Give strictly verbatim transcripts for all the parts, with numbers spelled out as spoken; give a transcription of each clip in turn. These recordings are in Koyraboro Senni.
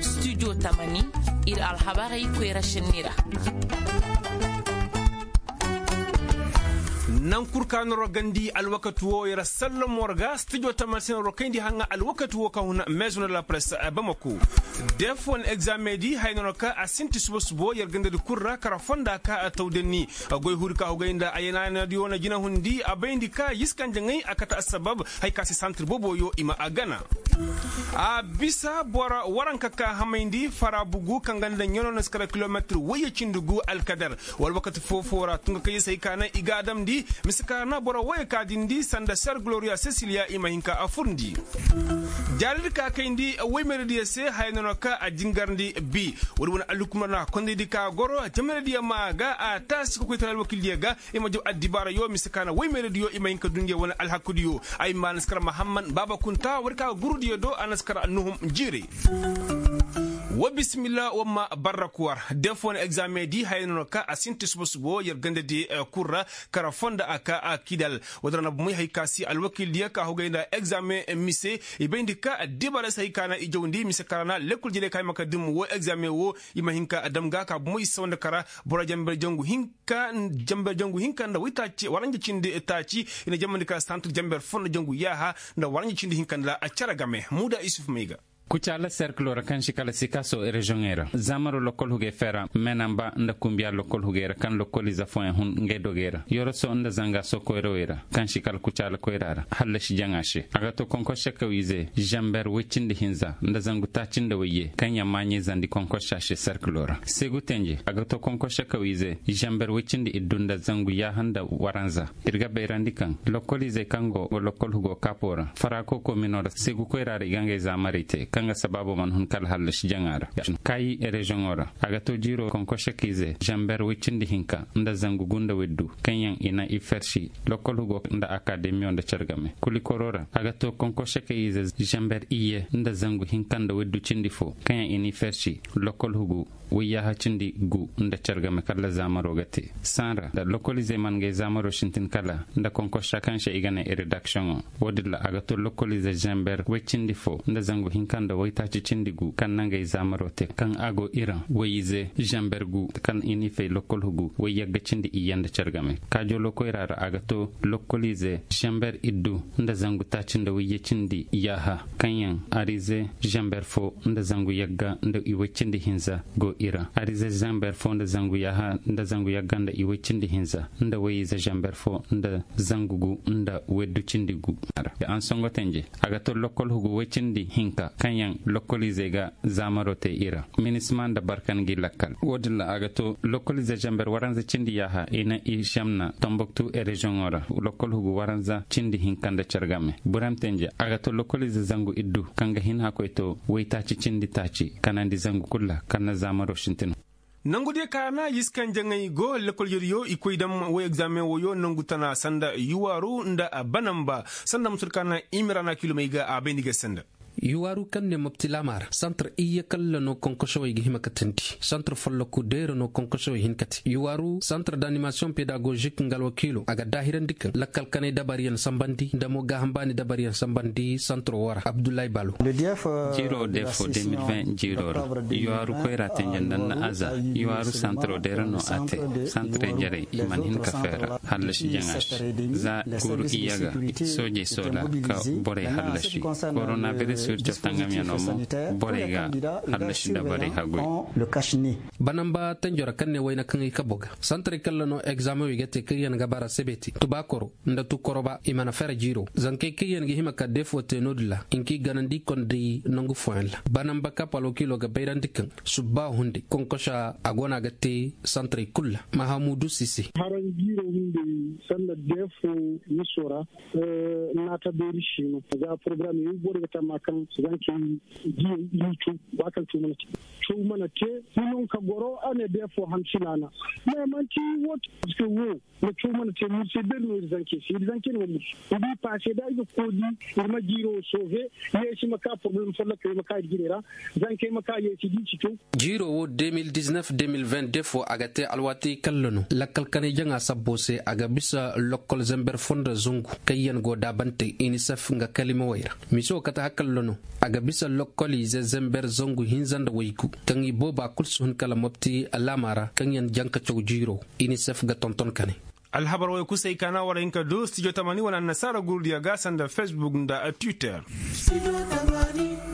Studio tamani, ir alhabarey koyra šenni ra. Nangu kul ka noro gandi alwakati wo yer sallamo ra ga studio tamani se noro kayndi haŋa alwakati wo ka huna maison de la presse bamako. Def wane egzame di haya nono ka a sinti suba subo yer gandadi kul ra kara fonda ka a tawdanni. Goy huri ka hugay nda a yanayanadiyo na jinahundi a bayndi ka yiskanjaŋey a kate assabab. Hay ka se santir boboyo i ma a gana. A bisa boro waranka ka hamayndi fara bugu kaŋ ga nda ɲano na si kara kilometir wayye cindi gu alkadar. Wala wakati foo-foo ra tunga kayzey se hay ka naŋ i ga a damndi. Mise ka ra na boro wayye ka dindi sanda ser gloriya sesiliya i ma hin ka a furndi. Jaaridi ka kayndi waymerediyo se haya nono ka a jingarndi bi. Wala wane allukumar na kondaydi ka goro jamerediyo ma ga a taasi ka koy tara alwakildiyo ga. I ma jaw addibaarayo mise ka na waymerediyo i ma hin ka du ngey wane alhakudiyo. Ay ma na si kara mahamman baaba kunta war ka gurudiyo do a na si kara nuhum jiirey. Wa bisimilla wa ma barraku war def wane egzame di haya nono ka a sinti suba subo yer gandadi kul ra. Kara fonda a ka a kidal. Wala ra na bumey hay ka si alwakildiyo ka hugay nda egzame mise. I bayndi ka addibaara se hay ka na i jawndi mise ka ra na lekkol jere ka ay ma ka dim wo egzame wo. I ma hin ka dam ga ka bumey sawanda kara boro jamber jangu hinka. Ka jamber jangu hinka nda waytaaci waranja cindi taaci. I na jamandi ka santir jamber fo nda jangu yaaha nda waranja cindi hinka nda a cere game muuda isuf may ga. Kucaala serkilo ra kaŋ si kala sikaso reziyoŋey ra zaamaro lokkol hugey fera menamba nda kumbiya lokkol hugey ra kaŋ lokkoliize fooyaŋ hun ngey dogey ra yoroso nda zanga sokoyrawey ra kaŋ si kala kucaala koyra ra hallasi jaŋa se a ga to konkosa kawiize zamber woy cindi hinza nda zangu taaci nda wayye kaŋ yaŋ maaɲey zandi konkosa se serkilo ra seegu tenje a ga to konkosa kawiize zamber woy cindi iddu nda zangu yaaha nda waranza. Ir ga bayrandi kaŋ lokkoliizey kaŋ go lokkol hugo kaapo ra faraako komino ra seegu koyra ra i ga ngey zaamarey te kaŋ ga sabaabo mana hun kala hallasi jaŋa ra. Kaayi reziyoŋo ra a ga to jiiro konkosa kiize zamber woy cindi hinka nda zangu gu nda woy du kaŋ yaŋ i na i fersi lokkol hugo nda akademiyo nda care game kulikoro ra a ga to konkosa kiize zamber iyye nda zangu hinka nda woy du cindi fo kaŋ yaŋ i na i fersi lokkol hugu woy yaaha cindi gu nda care game kala zaamaro ga te. Saŋ ra nda lokkoliizey mana ngey zaamaro sintin kala nda konkosa kaŋ se i ga ne redaksiyoŋo. Wo-din ra a ga to lokkoliize zamber woy cindi fo nda zangu hinka nda woytaaci cindi gu kaŋ na ngey zaamaro te kaŋ a go iraŋ woy-ize zamber gu kaŋ i n'i fay lokkol hugu woy yagga cindi iyye nda care game kaajoloo koyra ra a ga to lokkoliize zamber iddu nda zangu taaci nda woyye cindi yaaha kaŋ yaŋ ariize zamber fo nda zangu yagga nda i woy cindi hinza go iraŋ ariize zamber fo nda zangu yaaha nda zangu yagga nda i woy cindi hinza nda woy-ize zamber fo nda zangu gu nda woy du cindi gu. Ansongo tenje a ga to lokkol hugu woy cindi hinka kaŋ yaŋ lokkoliizey ga zaamaro te iraŋ minisima nda barkan gi lakkal wo-din ra a ga to lokkoliize zamber waranza cindi yaaha i na i zamna tomboktu reziyoŋo ra lokkol hugu waranza cindi hinka nda care game burem tenje a ga to lokkoliize zangu iddu kaŋ ga hin hakkoy to woytaaci cindi taaci kanandi zangu kul ra kaŋ na zaamaro sintin. Nangu diyo ka na yiskanjaŋey go lekkol yeriyo i koy dam woy egzaameŋ woyo nangu tana sanda yuwaaru nda banamba sanda musul ka na imirana kilomey ga a bayndi ga sanda. Yuwaaru kaŋ ne mopti laama ra santar iyye kalla no konkosowey ga hima katandi santar folloku deera no konkosowey hin kate yuwaaru santar danimasiyoŋ pedagozik nga alwakiilo a ga daahirandi kaŋ lakkal kanay dabariyaŋ sambandi nda mo gaaham baani dabariyaŋ sambandi santar woo ra abdullahi balo. Jiiroo defo de mil vingt jiiroo ra yuwaaru koyra tenje nda nna aza yuwaaru santaroo deera no a te santarey jarey i mana hin ka feera hallasi jaŋa se za guuru iyye ga soojey soola ka borey hallasi koronabiris wirco tangamyaŋo mo borey ga hallasi nda borey haguy. Banamba tanjo ra kaŋ ne wayna kaŋ i kabo ga santarey kalla no egzaameŋ wey ga te kaŋ yaŋ ga bara sebeti tubaakoro nda tukoroba i mana fere jiiro zankey kaŋ yaŋ ga hima ka deefo te no-din ra i nka i ganandi kondey nangu fooyaŋ ra banamba kap alwakiilo ga bayrandi kaŋ subba hunday konkosa a go no a ga te santarey kul ra mahamudu sise. Haraŋ jiiro hunday sanda deefo miso ra naata beeri siino za porogaram yaŋ boro ga tama kaŋ Zankey diyey i n'i caw. Ba kaŋ caw mana te, caw mana te. Hinonka goro a ne deefo hamsina na. Mais manti wo te parceque wo na caw mana te murse beri no ir zankey se ir zankey no ma murse. Iri paase da ir ga koodi ir ma jiiro wo soofe. Yeesi ma ka poroblem folloka ir ma ka ir jire ra. Zankey ma ka yeesi di ci caw. Jiiro wo de mil diznef de mil vin defo a ga te alwaati kalla no lakkal kanay jaŋa sabbo se a ga bisa lokkol zember fondo zangu. Kaŋ yaŋ go daabante inisef nga kalimawey ra. Mise wo kate hakalla no a ga bisa lokkol ize zember zangu hinza nda waygu kaŋ i booba kul si hun kala mopti alaama ra kaŋ yaŋ jaŋ ka caw jiiro. Inisef ga tonton kane. Alhabar way kusay kaana war hinka du studio tamani wala annasaara gurudiya ga sanda facebook nda twitter.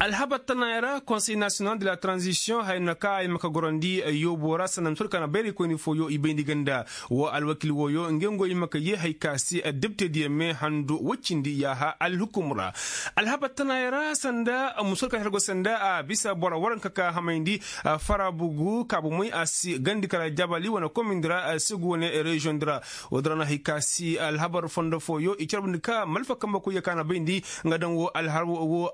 Alhabar tanaaya ra konsey nasiyonal de la transition haya no ka ay ma ka gorandi yoobo ra sanda musur kaana bayraykoyni fooyo i bayndi ganda. Wo alwakil wooyo ngey ngo i ma ka yee hay ka si debtediyo me handu woy cindi yaaha alhukum ra. Alhabar tanaaya ra sanda musur kaana hergo sanda a bisa boro waranka ka hamayndi farabugu kaabu moy a si gandi kala jabali wane komindi ra segu wane reziyoŋ di ra. Wo-din ra no hay ka si alhabar fondo fooyo i carbundi ka malfa kambe koyyo ka na bayndi nga daŋ wo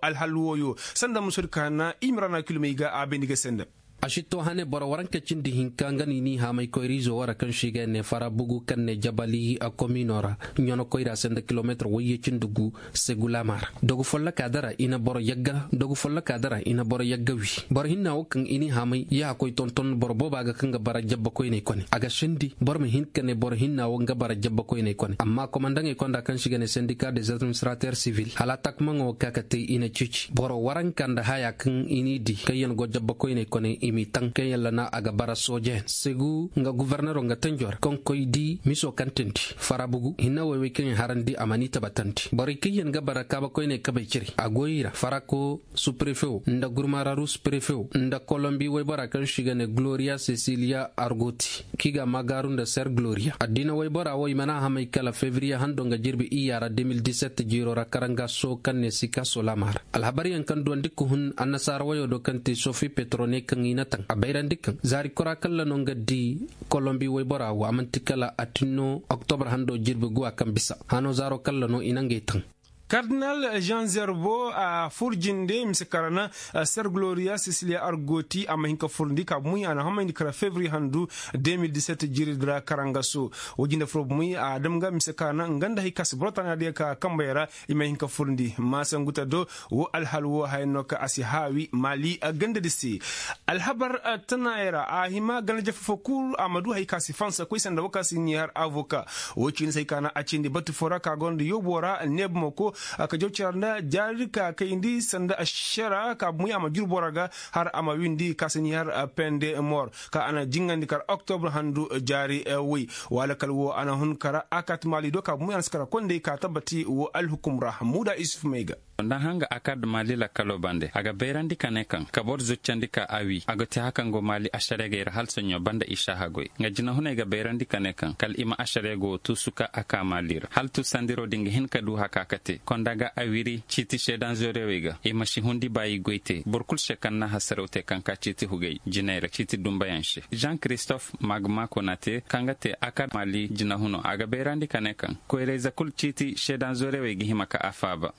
alhal wooyo sanda musur kaana i ma ra na kilomey ga a bayndi ga sanda. A si to hane boro waranka cindi hinka nga no i n'i haamay koyra-izo wo ra kaŋ se i ga ne fara bugu kaŋ ne jabali a komino ra ɲono koyra se nda kilomeetir wayye cindi gu. Segulaama ra dogu folloka dara i na boro yagga dogu folloka dara i na boro yagga wi. Boro hinna wo kaŋ i n'i haamay yaaha koy tonton boro booba ga kaŋ ga bara jabba koyney kone a ga sendi boro ma hin ka ne boro hinna wo nga bara jabba koyney kone amma komandaŋey konda kaŋ se i ga ne sendika des administrater sivil hala takmaŋo ka ka te i na ceeci boro waranka nda haya kaŋ i n'i di kaŋ yaŋ go jabba koyney kone i m'i taŋ kaŋ yaŋ lana a ga bara soojeyaŋ segu nga gufornero nga tanjo ra kaŋ koy di miso kaŋ tindi farabugu hinna woy-woy kaŋ yaŋ harandi a mana i tabatandi borey kaŋ yaŋ ga bara kaaba koyney kabey cire a go i ra farako suprefewo nda gurmararu suprefewo nda kolombi woybora kaŋ se i ga ne gloria cecilia argoti kaŋ i ga a maagaaru nda ser gloria addiina woybora wo i mana a hamay kala febriye hando nga jirbi iyya ra de mil diset jiiro ra karangaso kaŋ ne sika solama ra alhabaryaŋ kaŋ duwandi ka hun annasaara woyo do kaŋ te sofi petro ne kaŋ i na taŋ a bayrandi kaŋ zaari kora kalla no nga di kolombi woybora wo a man'ti kala a tin no oktobre hando jirbi guwa kaŋ bisa hano zaaro kalla no i na ngey taŋ. Kardinal jean zerbo a fur jinde mise kara na ser gloria sicilia argoti a ma hin ka furndi ka bumuy a na hamayndi kara fevrier handu de mil diset jiridi ra karangaso. Wo jinde furo bumuy a dam ga mise kara na nga nda hay ka si boro tana diya ka kambey ra i ma hin ka furndi ma sanguta do. Wo alhal wo haya no ka a si haawi maali gandadi se. Alhabar tanaayey ra a hima ganda jafa fo kul a ma du hay ka si fansa koy sanda wo ka si ɲi har avoka. Wo ciini se hay ka na a cindi batu fo ra ka gonda yoobo ra neebumako ka jaw cara nda jaari ka kayndi sanda ašara ka bumuy a ma juru boro ga har a ma windi ka si ɲi har pende mor ka a na jingandi kar oktobre handu jaari woy. Wala kala wo a na hun kara a kat maali do ka bumuy a na si kara kondey ka tabbati wo alhukum ra muuda isuf may ga. Nda hanga a kar da maali lakkalo bande a ga bayrandi ka ne kaŋ ka boro zuccandi ka a wi a ga te haka nga maali ašareegey ra hala soɲõ banda i šaaha goy nga jinahuney ga bayrandi ka ne kaŋ kala i ma ašareego wo tuusu ka a ka maali ra hala tuusandiro din ga hin ka du haka ka te konda ga a wiri ciiti seedanzorewey ga i ma si hundi ba i goy te boro kul se kaŋ na hasaraw te kaŋ ka ciiti hugey jiney ra ciiti dumbayaŋ se jean christophe magma konate kaŋ ga te a kar maali jinahuno a ga bayrandi ka ne kaŋ koyrayze kul ciiti seedanzorewey ga hima ka a faaba.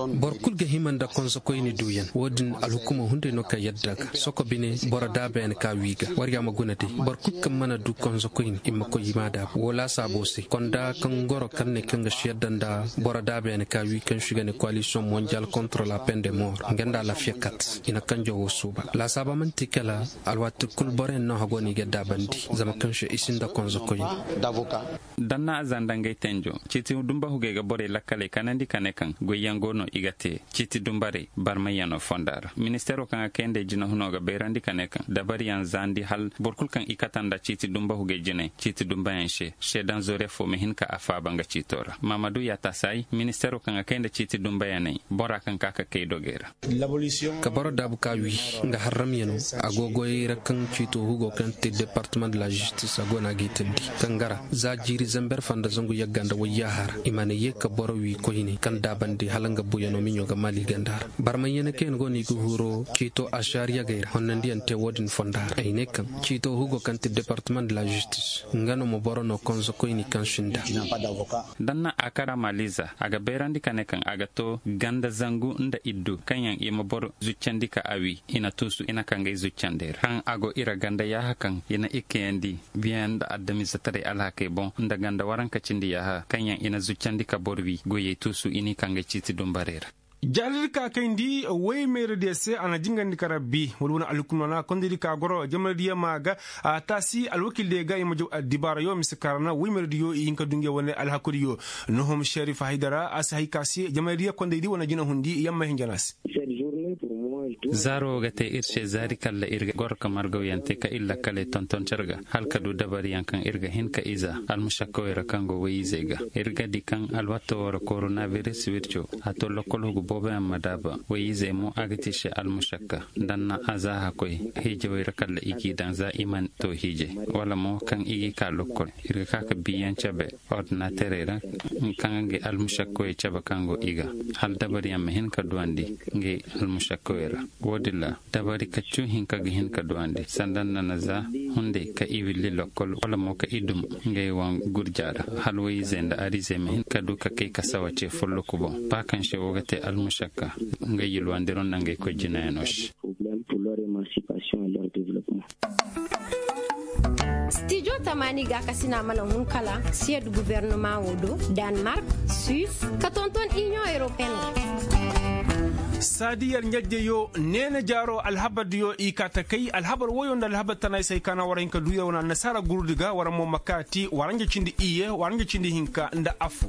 Boro kul ga hima nda konsokoyni duuyaŋ wo-din alhukumo hunday no ka yadda ga soko bine boro daabayaŋ ka wi ga warya ma guna day boro kul kaŋ mana du konsokoyni i ma koy i m'a daabu wo laasaabo se konda kaŋ goro kaŋ ne kaŋ ga si yadda nda boro daabayaŋ ka wi kaŋ si ga ne koalisiyoŋ mondial kontra la pende mor nga nda lafiya kat i na kanjo wo suuba laasaaba man'ti kala alwaati kul boroyaŋ no hago no i ga daabandi zama kaŋ se i sinda konsokoyni. Danna a zanda ngey tenjo ciiti dumba hugey ga borey lakkaley kanandi ka ne kaŋ goyyaŋ go no i ga te ciiti dumbarey barmayyaŋo fonda ra ministeero kaŋ ga kayndey jinahuno ga bayrandi ka ne kaŋ dabariyaŋ zandi hal boro kul kaŋ i kata nda ciiti dumba hugey jinay ciiti dumbayaŋ se seedanzore fo ma hin ka a faaba nga ciito ra mamadu yatasaay ministeero kaŋ ga kay nda ciiti dumbayaney bora kaŋ ka ka kay dogey ra. Ka boro daabu ka wi nga harramyano a go goyey ra kaŋ ciito hugo kaŋ te departement de la justice a go no a g'i tandi kangara za jiiri zamber fanda zangu yagga nda wayyaha ra i mana ye ka boro wi koyne kaŋ daabandi hala nga buy. Miɲo ga mali ganda ra barmaɲyana kaŋ yaŋ go no i ga huro ciito ašaar yagey ra honnandiyaŋ te wo-din fonda ra ay ne kaŋ ciito hugo kaŋ ti departement de la justice nga no ma boro no konso koyni kaŋ sinda. Danna a kara maliza a ga bayrandi ka ne kaŋ a ga to ganda zangu nda iddu kaŋ yaŋ i ma boro zuccandi ka a wi i na tuusu i na ka ngay zuccandi ra kaŋ a go ira ganda yaaha kaŋ i na ikkayandi biyaŋ nda adamize taray alhakey boŋ nda ganda waranka cindi yaaha kaŋ yaŋ i na zuccandi ka boro wi goyey tuusu i n'i ka ngay ciiti dumbarey ra. Jaalidi ka kayndi woy meeradiyo se a na jingandi ka rabbi wala wane alhukumana kondaydi ka goro jamaradiyo ma ga a taasi alwakildiyo ga i ma jaw addibaarayo mise kaarana woy meeradiyo i hin ka du ngey wane alhakudiyo. Nohom šerif haydara a si hay ka se jamaradiyo kondaydi wane jinahundi yamma hinja no a se. Zaaro wo ga te ir se zaari kalla ir ga goro ka margawyaŋ te ka ir lakkaley tonton car ga hala ka du dabariyaŋ kaŋ ir ga hin ka iza almušakkawey ra kaŋ go woy-izey ga. Ir ga di kaŋ alwato wo ra koronabiris wirco a to lokkol hugu booboyaŋ ma daaba woy-izey mo a ga ti se almušakka. Danna a za hakkoy hiijawey ra kalla i g'i daŋ za i mana to hiijay wala mo kaŋ i g'i ka lokkol ir ga ka ka biiyaŋ cabe ordinaterey ra kaŋ ga ngey almušakkoyey cabe kaŋ go i ga hala dabariyaŋ ma hin ka duwandi ngey almušakkoyey ra. Wo-din ra dabari kaccu hinka ga hin ka duwandi sanda nda na za hunday ka i willi lokkol wala mo ka i dum ngey waŋ gurja ra hala woy-izey nda arizey ma hin ka du ka kay ka sawa ce folloku boŋ ba kaŋ se wo ga te almušakka ngey yulwandiro nda ngey koy jinayaŋo se. Stijo tamaani gaakasina mana hun kala siyed gubernama wo do, danmark, suis, ka tonton inion europeen wo. Saadi yer ɲajjeyo neena jaaro alhabardiyo i kaa ta kay alhabar woyo nda alhabar tana ay se ay kaana war hin ka du yer wane annasaara gurudi ga war mo ma kaati war ɲa cindi iyye war ɲa cindi hinka nda affo.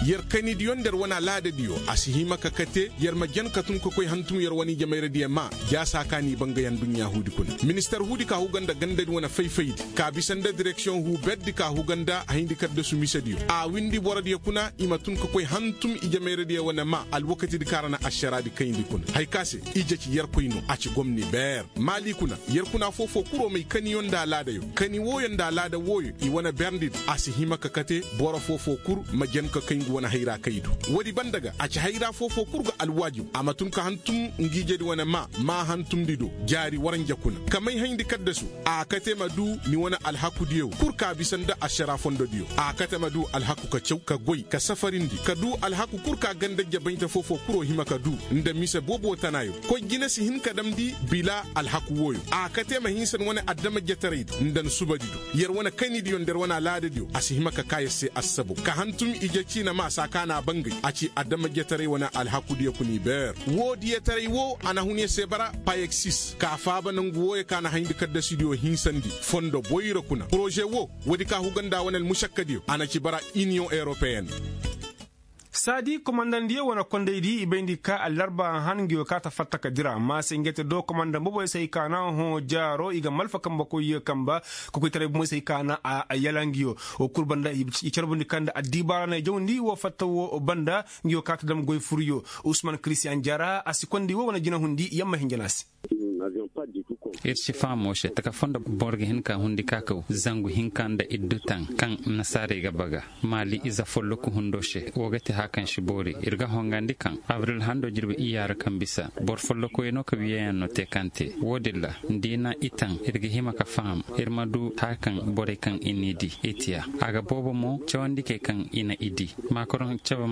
Yer kaynidiyo nda yer wane alaadadiyo a si hima ka kate yer ma jen ka tun ka koy hantum yer wane ijemayradiyo maa jaasa ka n'i ba nga yaŋ duɲɲa huudi kuna minister huudi ka huga nda gandadi wane fay-faydi ka bisa nda direksiyoŋ huu berdi ka huga nda hayndi kaddasu misediyo a windi borodiyo kuna i ma tun ka koy hantum ijemayradiyo wane maa alwakatidi ka ra na ašaraadi kayndi kuna haya ka se ije ci yerkoy no a ci gomni beer. Maali kuna yer kuna foo-foo kuro may kaniyo nda alaadayo kani wooyo nda alaada wooyo i wane berndidi a si hima ka kate boro foo-foo kul ma jen ka kay ngu wane hayra kay du. Woodi banda ga a ci hayra foo-foo kul ga alwaajib a ma tun ka hantum ngiijedi wane maa maa hantumndi do jaari waranja kuna ka may hayndi kaddasu a kate ma du ni wane alhakudiyo kul ka bisa nda ašaraa fondodiyo a kate ma du alhaku ka caw ka goy ka safarindi ka du alhaku kul ka gandajja baynta foo-foo kuro hima ka du nda mise boobo tanaayo koy jine si hin ka damndi bila alhaku wooyo a kate ma hinsa ni wane adama jetaraydi nda ni subadido yer wane kaynidiyo nda yer wane alaadadiyo a si hima ka kaa yer se assabo ka hantum ije ciina maa saa ka n'a bangay a ci adama jetaray wane alhakudiyo kuna i beer. Woo diyetaray woo a na hun yer se bara payeksis ka faaba nongu wooyo ka na hayndi kaddasidiyo hinsandi fondo boyra kuna poroze woo woodi ka huga nda wane almušakkadiyo a na ci bara iniyoŋ europeyen. Saadi komandandiyo wane kondaydi i bayndi ka allarba han nga yo kaa ta fatta ka dira maase ngey te do komandan boboy se ay kaa na hõ jaaro i ga malfa kambe koy kamba kokoytaray bomoy se ay kaa na a yala nga yo. Wo kul banda i carbundi ka nda addibaara na ay jawndi wo fatta wo banda nga yo kaa ta dam goy furyo. Usman kiristiyan jaara a si kondi wo wane jinahundi yamma hinja no a se. Ir si faham wo se taka fondo boro ga hin ka hundi ka kaw zangu hinka nda iddu taŋ kaŋ nasaarey ga baga maali ize folloku hundo se wo ga te haya kaŋ si boori ir ga hongandi kaŋ abril hando jirbi iyya ra kaŋ bisa boro follokuyaŋ no ka wiyayaŋ no te kaŋ te wo-din ra nda i na i taŋ ir ga hima ka faham ir ma du haya kaŋ borey kaŋ i n'i di i tiya a ga boobo mo cawandikey kaŋ i na i di maakaroŋ cabe.